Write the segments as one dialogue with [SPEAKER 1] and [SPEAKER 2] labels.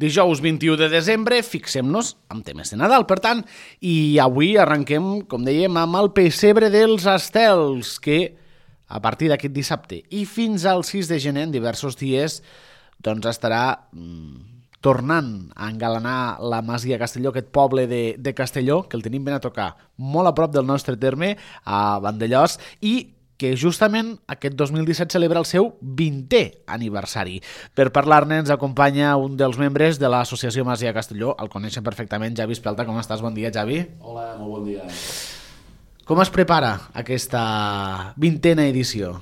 [SPEAKER 1] Dijous 21 de desembre, fixem-nos en temes de Nadal, per tant, i avui arrenquem, com dèiem, amb el pessebre dels estels, que a partir d'aquest dissabte i fins al 6 de gener, en diversos dies, doncs estarà tornant a engalanar la Masia Castelló, aquest poble de Castelló, que el tenim ben a tocar molt a prop del nostre terme, a Vandellòs, i que justament aquest 2017 celebra el seu 20è aniversari. Per parlar-ne ens acompanya un dels membres de l'Associació Masia Castelló, el coneixen perfectament, Javi Espelta. Com estàs? Bon dia, Javi.
[SPEAKER 2] Hola, molt bon dia.
[SPEAKER 1] Com es prepara aquesta 20a edició?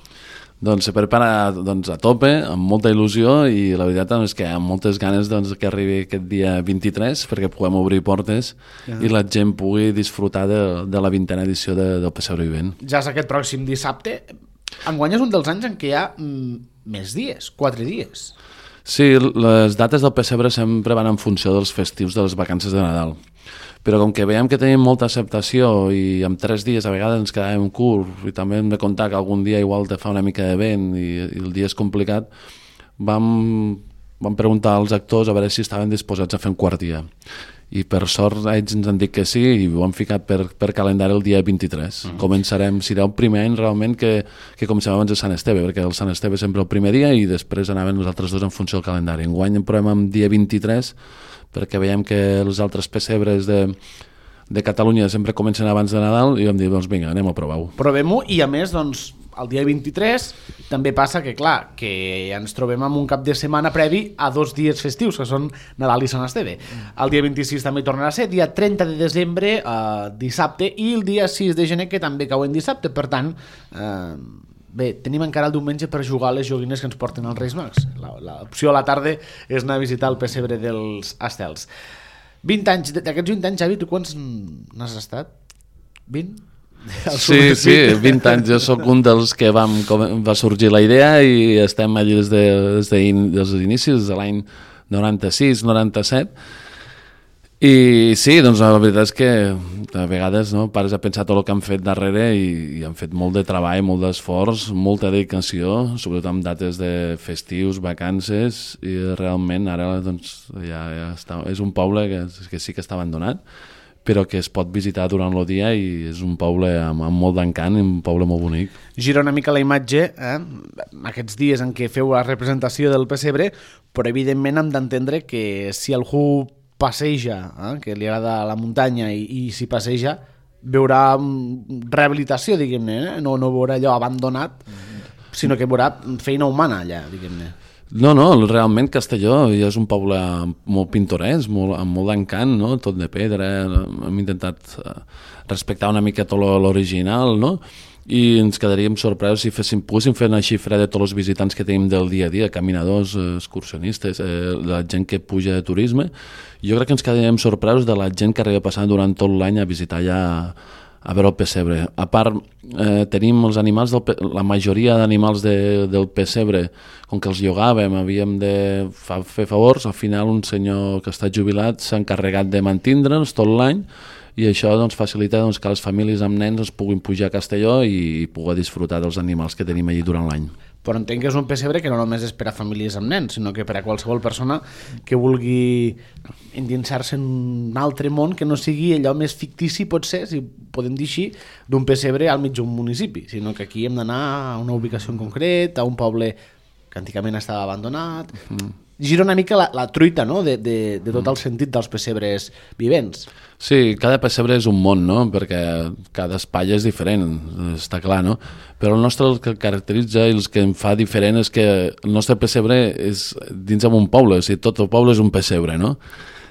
[SPEAKER 2] Doncs se prepara a tope, amb molta il·lusió, i la veritat és que amb moltes ganes que arribi aquest dia 23 perquè puguem obrir portes i la gent pugui disfrutar de la 20a edició del Pessebre Vivent.
[SPEAKER 1] Ja és aquest pròxim dissabte. Enguany és un dels anys en què hi ha més dies, 4 dies.
[SPEAKER 2] Sí, les dates del Pessebre sempre van en funció dels festius de les vacances de Nadal. Però com que veiem que tenim molta acceptació i en 3 dies a vegades ens quedàvem curts i també hem de comptar que algun dia igual te fa una mica de vent i el dia és complicat, vam preguntar als actors a veure si estaven disposats a fer un quart dia. I per sort ells ens han dit que sí i ho han ficat per calendari el dia 23. Començarem, serà el primer any realment que comencem abans de Sant Esteve, perquè el Sant Esteve sempre el primer dia i després anaven els altres dos en funció del calendari. Enguany en provem amb dia 23 perquè veiem que els altres pessebres de Catalunya sempre comencen abans de Nadal i vam dir, doncs vinga, anem a provar-ho.
[SPEAKER 1] Provem-ho i a més, doncs, el dia 23 també passa que, clar, que ens trobem amb un cap de setmana previ a 2 dies festius, que són Nadal i Sant Esteve. El dia 26 també tornarà a ser, dia 30 de desembre, dissabte, i el dia 6 de gener, que també cau en dissabte. Per tant, bé, tenim encara el diumenge per jugar a les joguines que ens porten els Reis Mags. L'opció a la tarda és anar a visitar el pessebre dels estels. 20 anys, d'aquests 20 anys, Javi, tu quants n'has estat? 20?
[SPEAKER 2] Sí, 20 anys. Jo sóc un dels que va sorgir la idea i estem allà des dels inicis, de l'any 96, 97. I sí, doncs la veritat és que a vegades pares a pensar tot el que han fet darrere i han fet molt de treball, molt d'esforç, molta dedicació, sobretot amb dates de festius, vacances, i realment ara doncs, ja està, és un poble que sí que està abandonat, però que es pot visitar durant el dia i és un poble amb molt d'encant i un poble molt bonic.
[SPEAKER 1] Gira una mica la imatge, aquests dies en què feu la representació del pessebre, però evidentment hem d'entendre que si algú passeja, que li agrada la muntanya i s'hi passeja, veurà rehabilitació, diguem-ne, no veurà allò abandonat, sinó que veurà feina humana allà, diguem-ne.
[SPEAKER 2] No, realment Castelló ja és un poble molt pintoresc, amb molt d'encant, tot de pedra, hem intentat respectar una mica tot l'original, i ens quedaríem sorpresos si poguéssim fer una xifra de tots els visitants que tenim del dia a dia, caminadors, excursionistes, la gent que puja de turisme. Jo crec que ens quedaríem sorpresos de la gent que arriba passant durant tot l'any a visitar allà, a veure el pessebre. A part, tenim els animals, la majoria d'animals del pessebre, com que els llogàvem, havíem de fer favors, al final un senyor que està jubilat s'ha encarregat de mantindre'ns tot l'any, i això facilita que les famílies amb nens es puguin pujar a Castelló i poder disfrutar dels animals que tenim allí durant l'any.
[SPEAKER 1] Però entenc que és un pessebre que no només és per a famílies amb nens, sinó que per a qualsevol persona que vulgui endinsar-se en un altre món que no sigui allò més fictici, potser, si podem dir així, d'un pessebre al mig d'un municipi, sinó que aquí hem d'anar a una ubicació en concret, a un poble que antigament estava abandonat. Gira una mica la truita, de tot el sentit dels pessebres vivents.
[SPEAKER 2] Sí, cada pessebre és un món, perquè cada espai és diferent, està clar, però el nostre el que caracteritza i el que em fa diferent és que el nostre pessebre és dins d'un poble, o sigui, tot el poble és un pessebre,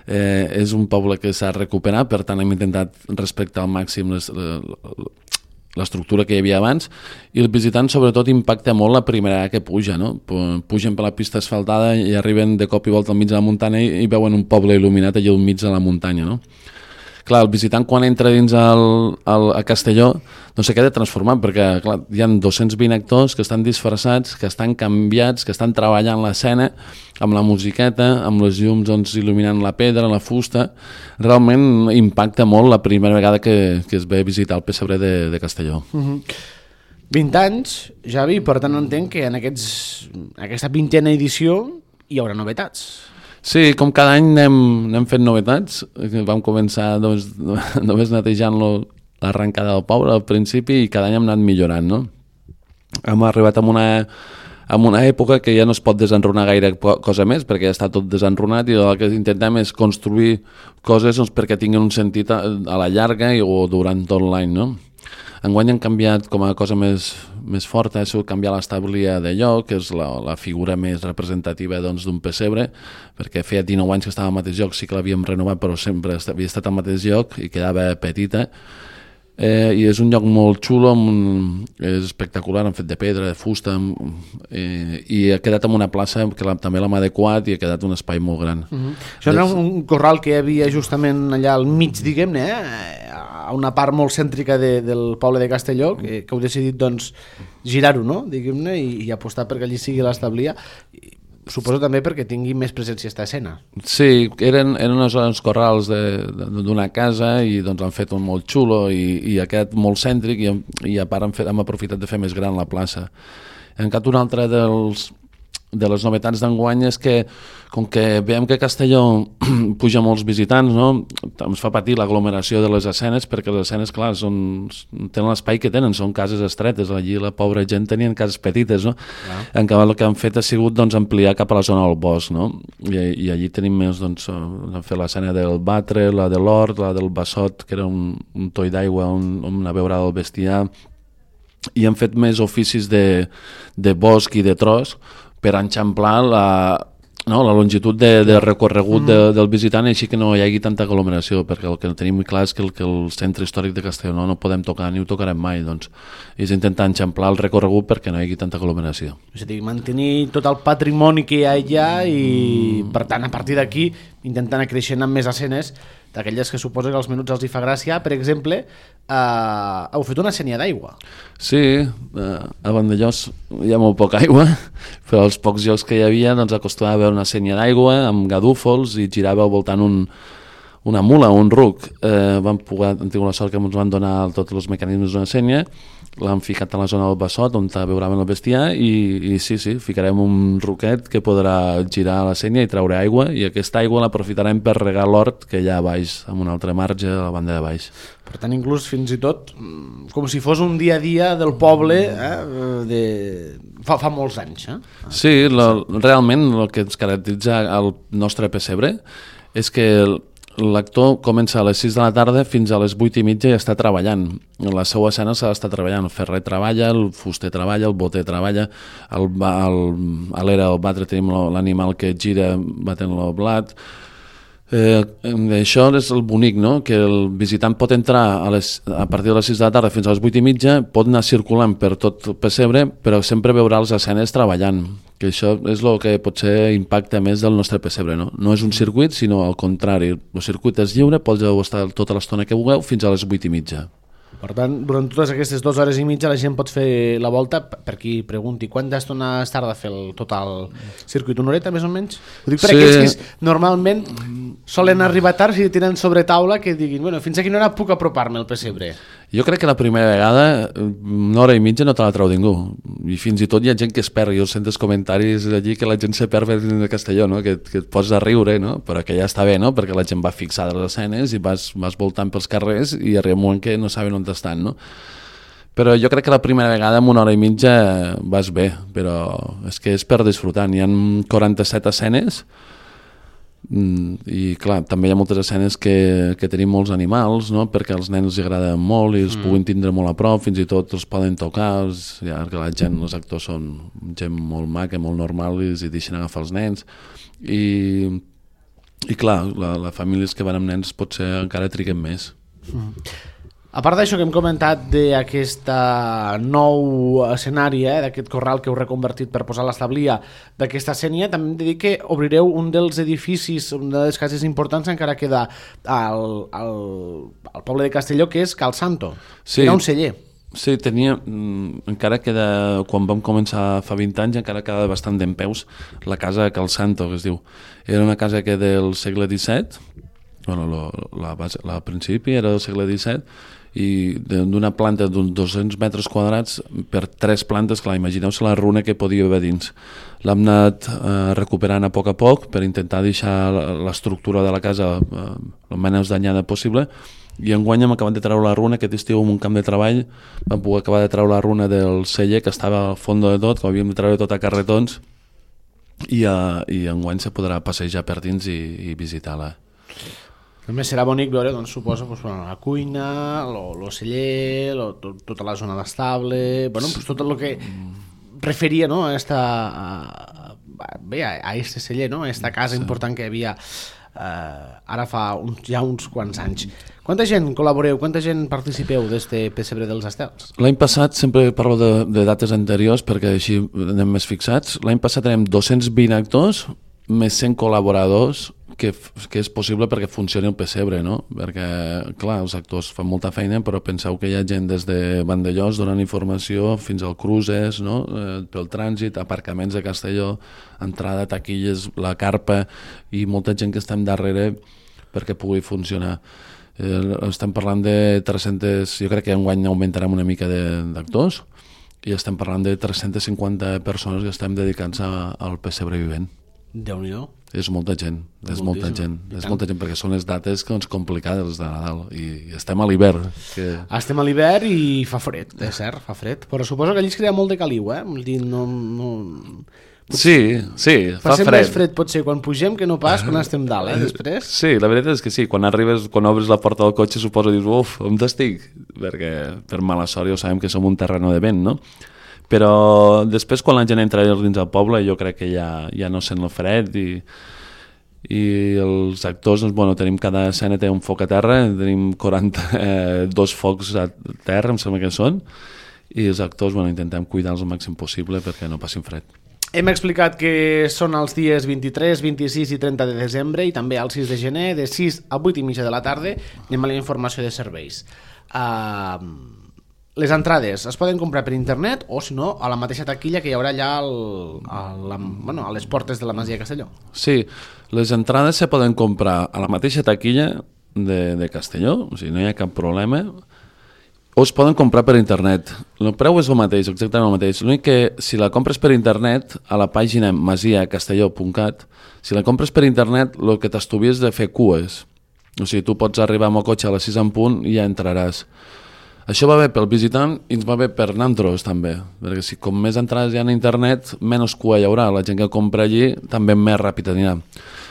[SPEAKER 2] és un poble que s'ha recuperat, per tant hem intentat respectar al màxim l'estructura que hi havia abans, i el visitant sobretot impacta molt la primera que puja, pugen per la pista asfaltada i arriben de cop i volta al mig de la muntanya i veuen un poble il·luminat allà al mig de la muntanya, Clar, el visitant quan entra dins a Castelló doncs se queda transformat, perquè clar, hi ha 220 actors que estan disfressats, que estan canviats, que estan treballant l'escena amb la musiqueta, amb les llums il·luminant la pedra, la fusta. Realment impacta molt la primera vegada que es ve a visitar el pessebre de Castelló.
[SPEAKER 1] 20 anys, Javi, per tant entenc que en aquesta 20a edició hi haurà novetats.
[SPEAKER 2] Sí, com cada any anem fent novetats. Vam començar només netejant l'arrencada del poble al principi i cada any hem anat millorant, no? Hem arribat en una època que ja no es pot desenrunar gaire cosa més perquè ja està tot desenrunat i el que intentem és construir coses doncs, perquè tinguin un sentit a la llarga o durant tot l'any, no? Enguany han canviat com a cosa més forta, ha sigut canviar l'establia de lloc, que és la figura més representativa doncs, d'un pessebre, perquè feia 19 anys que estava al mateix lloc, sí que l'havíem renovat, però sempre havia estat al mateix lloc i quedava petita. I és un lloc molt xulo, és espectacular, han fet de pedra, de fusta, i ha quedat en una plaça que també l'hem adequat i ha quedat un espai molt gran.
[SPEAKER 1] Això era un corral que hi havia justament allà al mig, diguem-ne, a una part molt cèntrica del poble de Castelló, que heu decidit doncs, girar-ho, no? Diguem-ne, i apostar perquè allí sigui l'establia. Suposo també perquè tingui més presència esta escena.
[SPEAKER 2] Sí, eren uns corrals d'una casa i doncs han fet un molt xulo i ha quedat molt cèntric i a part hem aprofitat de fer més gran la plaça. En cap un altre de les novetats d'enguany és que, com que veiem que Castelló puja molts visitants, no? Ens fa patir l'aglomeració de les escenes, perquè les escenes, clar, tenen l'espai que tenen, són cases estretes, allí la pobra gent tenien cases petites, no? En canvi el que han fet ha sigut doncs, ampliar cap a la zona del bosc, no? I allí tenim més, doncs, han fet l'escena del batre, la de l'hort, la del bassot, que era un toll d'aigua on anar a veure el bestiar, i han fet més oficis de bosc i de tros, per enxamplar la longitud de recorregut del visitant i així que no hi hagi tanta aglomeració, perquè el que tenim clar és que el centre històric de Castelló no podem tocar ni ho tocarem mai, doncs és intentar enxamplar el recorregut perquè no hi hagi tanta aglomeració.
[SPEAKER 1] És a dir, mantenir tot el patrimoni que hi ha allà i per tant a partir d'aquí intentant anar creixent amb més escenes d'aquelles que suposa que als menuts els hi fa gràcia. Per exemple, heu fet una sénia d'aigua.
[SPEAKER 2] Sí, a Vandellós hi ha molt poca aigua, però els pocs llocs que hi havia doncs, acostumava a haver una sénia d'aigua amb gadúfols i girava al voltant una mula, un ruc. Han tingut la sort que ens van donar tots els mecanismes d'una sénia, l'han ficat a la zona del bassot on veuràvem el bestiar i sí, ficarem un ruquet que podrà girar a la sénia i treure aigua i aquesta aigua l'aprofitarem per regar l'hort que hi ha a baix, amb un altre marge a la banda de baix.
[SPEAKER 1] Per tant, inclús fins i tot com si fos un dia a dia del poble fa molts anys.
[SPEAKER 2] Sí, realment el que ens caracteritza el nostre pessebre és que l'actor comença a les 6 de la tarda fins a les 8 i mitja i està treballant. La seva escena s'ha d'estar treballant. El ferrer treballa, el fuster treballa, el boter treballa, a l'era del batre tenim l'animal que gira batent el blat. Això és el bonic, no? Que el visitant pot entrar a partir de les 6 de la tarda fins a les 8 i mitja, pot anar circulant per tot el pessebre, però sempre veurà les escenes treballant, que això és el que potser impacta més del nostre pessebre, no? No és un circuit, sinó al contrari. El circuit és lliure, podeu estar tota l'estona que vulgueu fins a les 8 i mitja.
[SPEAKER 1] Per tant, durant totes aquestes 2 hores i mitja la gent pot fer la volta, per qui pregunti quanta estona es tarda a fer tot el circuit, una horeta més o menys? Ho dic per aquells que normalment solen arribar tard i tenen sobre taula que diguin, bueno, fins a quina hora puc apropar-me al pessebre?
[SPEAKER 2] Jo crec que la primera vegada una hora i mitja no te la treu ningú i fins i tot hi ha gent que es perd. Jo sento els comentaris allí que la gent se perd de Castelló, no? que et pots a riure, no? Però que ja està bé, no? Perquè la gent va fixada a les escenes i vas voltant pels carrers i arriba un moment que no saben on estan, no? Però jo crec que la primera vegada en una hora i mitja vas bé, però és que és per disfrutar. Hi ha 47 escenes i clar, també hi ha moltes escenes que tenim molts animals, no? Perquè als nens els agraden molt i els puguin tindre molt a prop, fins i tot els poden tocar, ja que la gent, els actors són gent molt maca, molt normal i els deixen agafar els nens i clar, les famílies que van amb nens potser encara triguen més.
[SPEAKER 1] A part d'això que hem comentat d'aquest nou escenari, d'aquest corral que heu reconvertit per posar l'establia d'aquesta sénia, també hem de dir que obrireu un dels edificis, una de les cases importants encara queda al poble de Castelló, que és Cal Santo. Sí. Era un celler.
[SPEAKER 2] Sí, encara queda, quan vam començar fa 20 anys, encara queda bastant dempeus la casa Cal Santo, que es diu. Era una casa que del segle XVII, bueno, al principi era del segle XVII, i d'una planta d'uns 200 metres quadrats per 3 plantes, clar, imagineu-se la runa que podia haver dins. L'hem anat recuperant a poc per intentar deixar l'estructura de la casa el menys danyada possible, i enguany hem acabat de treure la runa. Aquest estiu en un camp de treball vam poder acabar de treure la runa del celler que estava al fons de tot, que havíem de treure tot a carretons, i enguany se podrà passejar per dins i visitar-la.
[SPEAKER 1] També serà bonic veure, doncs, suposo, la cuina, el celler, tota la zona d'estable, tot el que referia, no, a este celler, no, a esta casa important que hi havia ara fa ja uns quants anys. Quanta gent col·laboreu, quanta gent participeu d'este Pessebre dels Estels?
[SPEAKER 2] L'any passat, sempre parlo de dates anteriors perquè així anem més fixats, l'any passat tenim 220 actors més 100 col·laboradors, que és possible perquè funcioni el pessebre, no? Perquè, clar, els actors fan molta feina, però penseu que hi ha gent des de Vandellòs donant informació fins al cruces, no? Pel trànsit, aparcaments de Castelló, entrada, taquilles, la carpa, i molta gent que estem darrere perquè pugui funcionar. Estem parlant de 300, jo crec que enguany augmentarem una mica d'actors, i estem parlant de 350 persones que estem dedicant-se al pessebre vivent.
[SPEAKER 1] Déu-n'hi-do.
[SPEAKER 2] És molta gent, és molta gent perquè són les dates complicades de Nadal i estem a l'hivern.
[SPEAKER 1] Estem a l'hivern i fa fred, és cert, fa fred, però suposo que allí es crea molt de caliu,
[SPEAKER 2] Sí, fa fred.
[SPEAKER 1] Més fred pot ser quan pugem que no pas quan estem dalt, després?
[SPEAKER 2] Sí, la veritat és que sí, quan obres la porta del cotxe suposo dius, on estic? Perquè per mala sort ja sabem que som un terreno de vent, no? Però després quan la gent entra dins del poble jo crec que ja no sent el fred i els actors, doncs, tenim cada escena té un foc a terra, tenim 42 focs a terra, em sembla que són, i els actors intentem cuidar-los el màxim possible perquè no passin fred.
[SPEAKER 1] Hem explicat que són els dies 23, 26 i 30 de desembre i també el 6 de gener de 6 a 8 i mitja de la tarda. Anem a la informació de serveis. Les entrades es poden comprar per internet o, si no, a la mateixa taquilla que hi haurà allà a les portes de la Masia de Castelló.
[SPEAKER 2] Sí, les entrades se poden comprar a la mateixa taquilla de Castelló, o sigui, no hi ha cap problema, o es poden comprar per internet. El preu és el mateix, exactament el mateix. L'únic que si la compres per internet, a la pàgina masiacastelló.cat, si la compres per internet, el que t'estuvies de fer cues. O sigui, tu pots arribar amb el cotxe a les 6 en punt i ja entraràs. Això va bé pel visitant i ens va bé per nosaltres també, perquè si com més entrades hi ha a internet, menys cua hi haurà, la gent que compra allí també més ràpid anirà.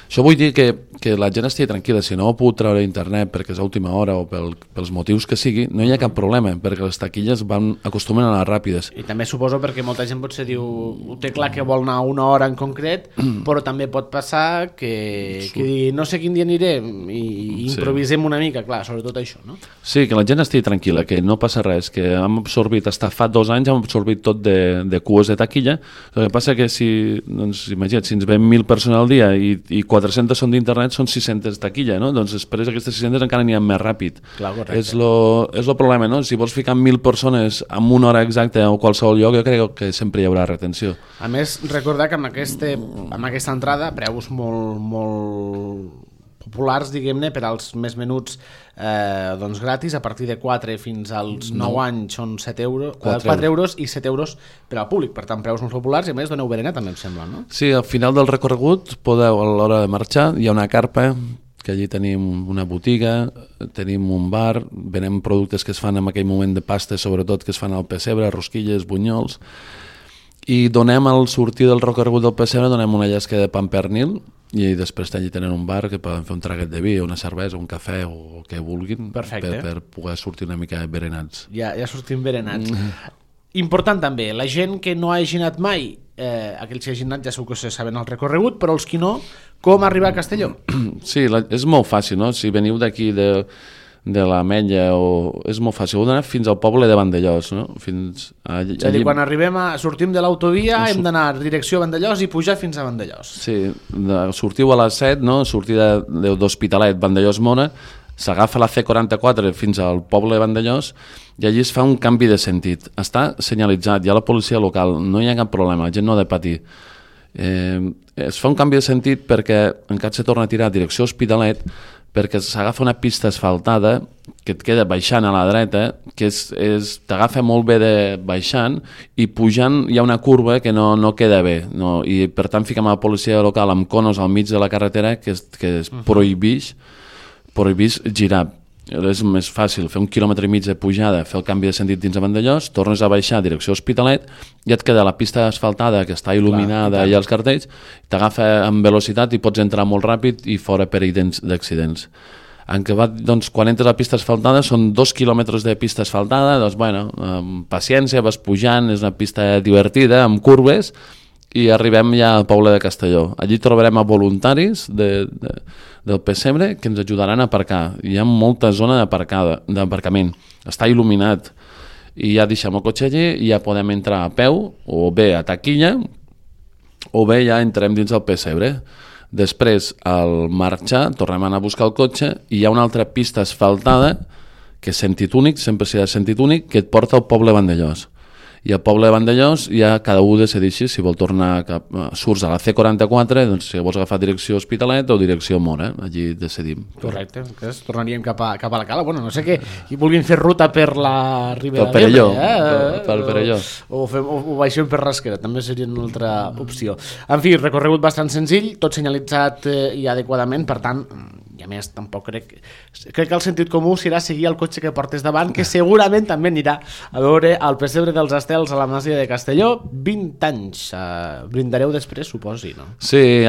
[SPEAKER 2] Això vull dir que la gent estigui tranquil·la, si no ho puc treure a internet perquè és a última hora o pels motius que sigui, no hi ha cap problema, perquè les taquilles acostumen a anar ràpides.
[SPEAKER 1] I també suposo perquè molta gent potser diu, ho té clar que vol anar una hora en concret, però també pot passar que digui, no sé quin dia aniré i improvisem una mica, clar, sobretot això, no?
[SPEAKER 2] Sí, que la gent estigui tranquil·la, que no passa res, que hem absorbit, fa 2 anys hem absorbit tot de cues de taquilla. El que passa que imagina't, si ens ven 1.000 persones al dia i 400 són d'internet, són 600 taquilla, no? Doncs després aquestes 600 encara aniran més ràpid.
[SPEAKER 1] Clar, correcte.
[SPEAKER 2] És el problema, no? Si vols ficar 1.000 persones en una hora exacta o qualsevol lloc, jo crec que sempre hi haurà retenció.
[SPEAKER 1] A més, recordar que amb aquesta entrada, preus molt populars, diguem-ne, per als més menuts gratis, a partir de 4 fins als 9 anys són 4 euros i 7 euros per al públic, per tant preus molt populars i a més doneu berenar també em sembla, no?
[SPEAKER 2] Sí, al final del recorregut podeu, a l'hora de marxar, hi ha una carpa que allí tenim una botiga, tenim un bar, venem productes que es fan en aquell moment de pasta, sobretot que es fan al pessebre, rosquilles, bunyols, i donem al sortir del recorregut del pessebre donem una llesca de pa amb pernil i després allí tenen un bar que poden fer un traguet de vi, una cervesa, un cafè o el que vulguin.
[SPEAKER 1] Perfecte.
[SPEAKER 2] Per poder sortir una mica berenats.
[SPEAKER 1] Ja sortim berenats. Important també, la gent que no hagi anat mai, aquells que hagin anat ja segur que saben el recorregut, però els que no, com arribar a Castelló?
[SPEAKER 2] Sí, és molt fàcil, no? Si veniu d'aquí de l'Ametlla, és molt fàcil, heu d'anar fins al poble de Vandellòs, no? És
[SPEAKER 1] a dir, quan sortim de l'autovia hem d'anar direcció a Vandellòs i pujar fins a Vandellòs.
[SPEAKER 2] Sí, sortiu a les 7, no? Sortida d'Hospitalet, Vandellòs-Mona, s'agafa la C44 fins al poble de Vandellòs i allí es fa un canvi de sentit. Està senyalitzat, hi ha la policia local, no hi ha cap problema, la gent no ha de patir. Es fa un canvi de sentit perquè encara se torna a tirar a direcció Hospitalet, perquè s'agafa una pista asfaltada que et queda baixant a la dreta, que t'agafa molt bé de baixant, i pujant hi ha una curva que no queda bé, no? I per tant fiquem a la policia local amb conos al mig de la carretera que es prohibix girar. És més fàcil fer 1,5 quilòmetres de pujada, fer el canvi de sentit dins de Vandellòs, tornes a baixar a direcció Hospitalet i et queda la pista asfaltada que està il·luminada i els cartells, t'agafa amb velocitat i pots entrar molt ràpid i fora perill d'accidents. Doncs, quan entres a la pista asfaltada són 2 quilòmetres de pista asfaltada, doncs, bueno, amb paciència vas pujant, és una pista divertida, amb curves, i arribem ja al poble de Castelló. Allí trobarem a voluntaris del Pessebre que ens ajudaran a aparcar. Hi ha molta zona d'aparcament. Està il·luminat i ja deixem el cotxe allí i ja podem entrar a peu o bé a taquilla o bé ja entrem dins del Pessebre. Després, al marxar, tornem a anar a buscar el cotxe i hi ha una altra pista asfaltada que és sentit únic, sempre serà sentit únic, que et porta al poble de Vandellòs. I al poble de Vandellòs ja cada un decideixi si vol tornar surts a la C44, doncs si vols agafar direcció Hospitalet o direcció Mora, allí decidim.
[SPEAKER 1] Correcte, tornaríem cap a la Cala. Bueno, no sé què, i vulguin fer ruta per la Ribera
[SPEAKER 2] d'Ebre, pel Perelló.
[SPEAKER 1] O baixem per Rasquera, també seria una altra opció. En fi, recorregut bastant senzill, tot senyalitzat i adequadament, per tant, i a més tampoc crec que el sentit comú serà seguir el cotxe que portes davant, que segurament també anirà a veure el Pessebre dels Estels a la Masia de Castelló. 20 anys, brindareu després, suposi, no?
[SPEAKER 2] Sí,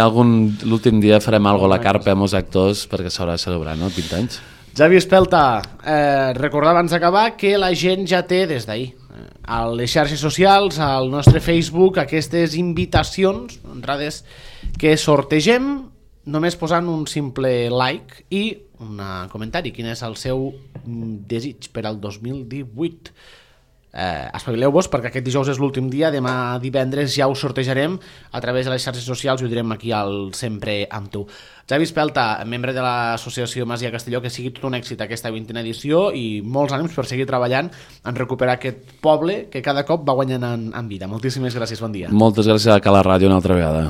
[SPEAKER 2] l'últim dia farem alguna cosa a la carpa amb els actors perquè s'haurà de celebrar, no? 20 anys.
[SPEAKER 1] Javi Espelta, recordar abans d'acabar que la gent ja té des d'ahir a les xarxes socials, al nostre Facebook, aquestes invitacions, entrades que sortegem només posant un simple like i un comentari. Quin és el seu desig per al 2018? Espavileu-vos perquè aquest dijous és l'últim dia, demà divendres ja ho sortejarem a través de les xarxes socials i ho direm aquí al Sempre amb tu. Javi Espelta, membre de l'associació Masia Castelló, que sigui tot un èxit aquesta 20a edició i molts ànims per seguir treballant en recuperar aquest poble que cada cop va guanyant en vida. Moltíssimes gràcies, bon dia.
[SPEAKER 2] Moltes gràcies a Cala Ràdio una altra vegada.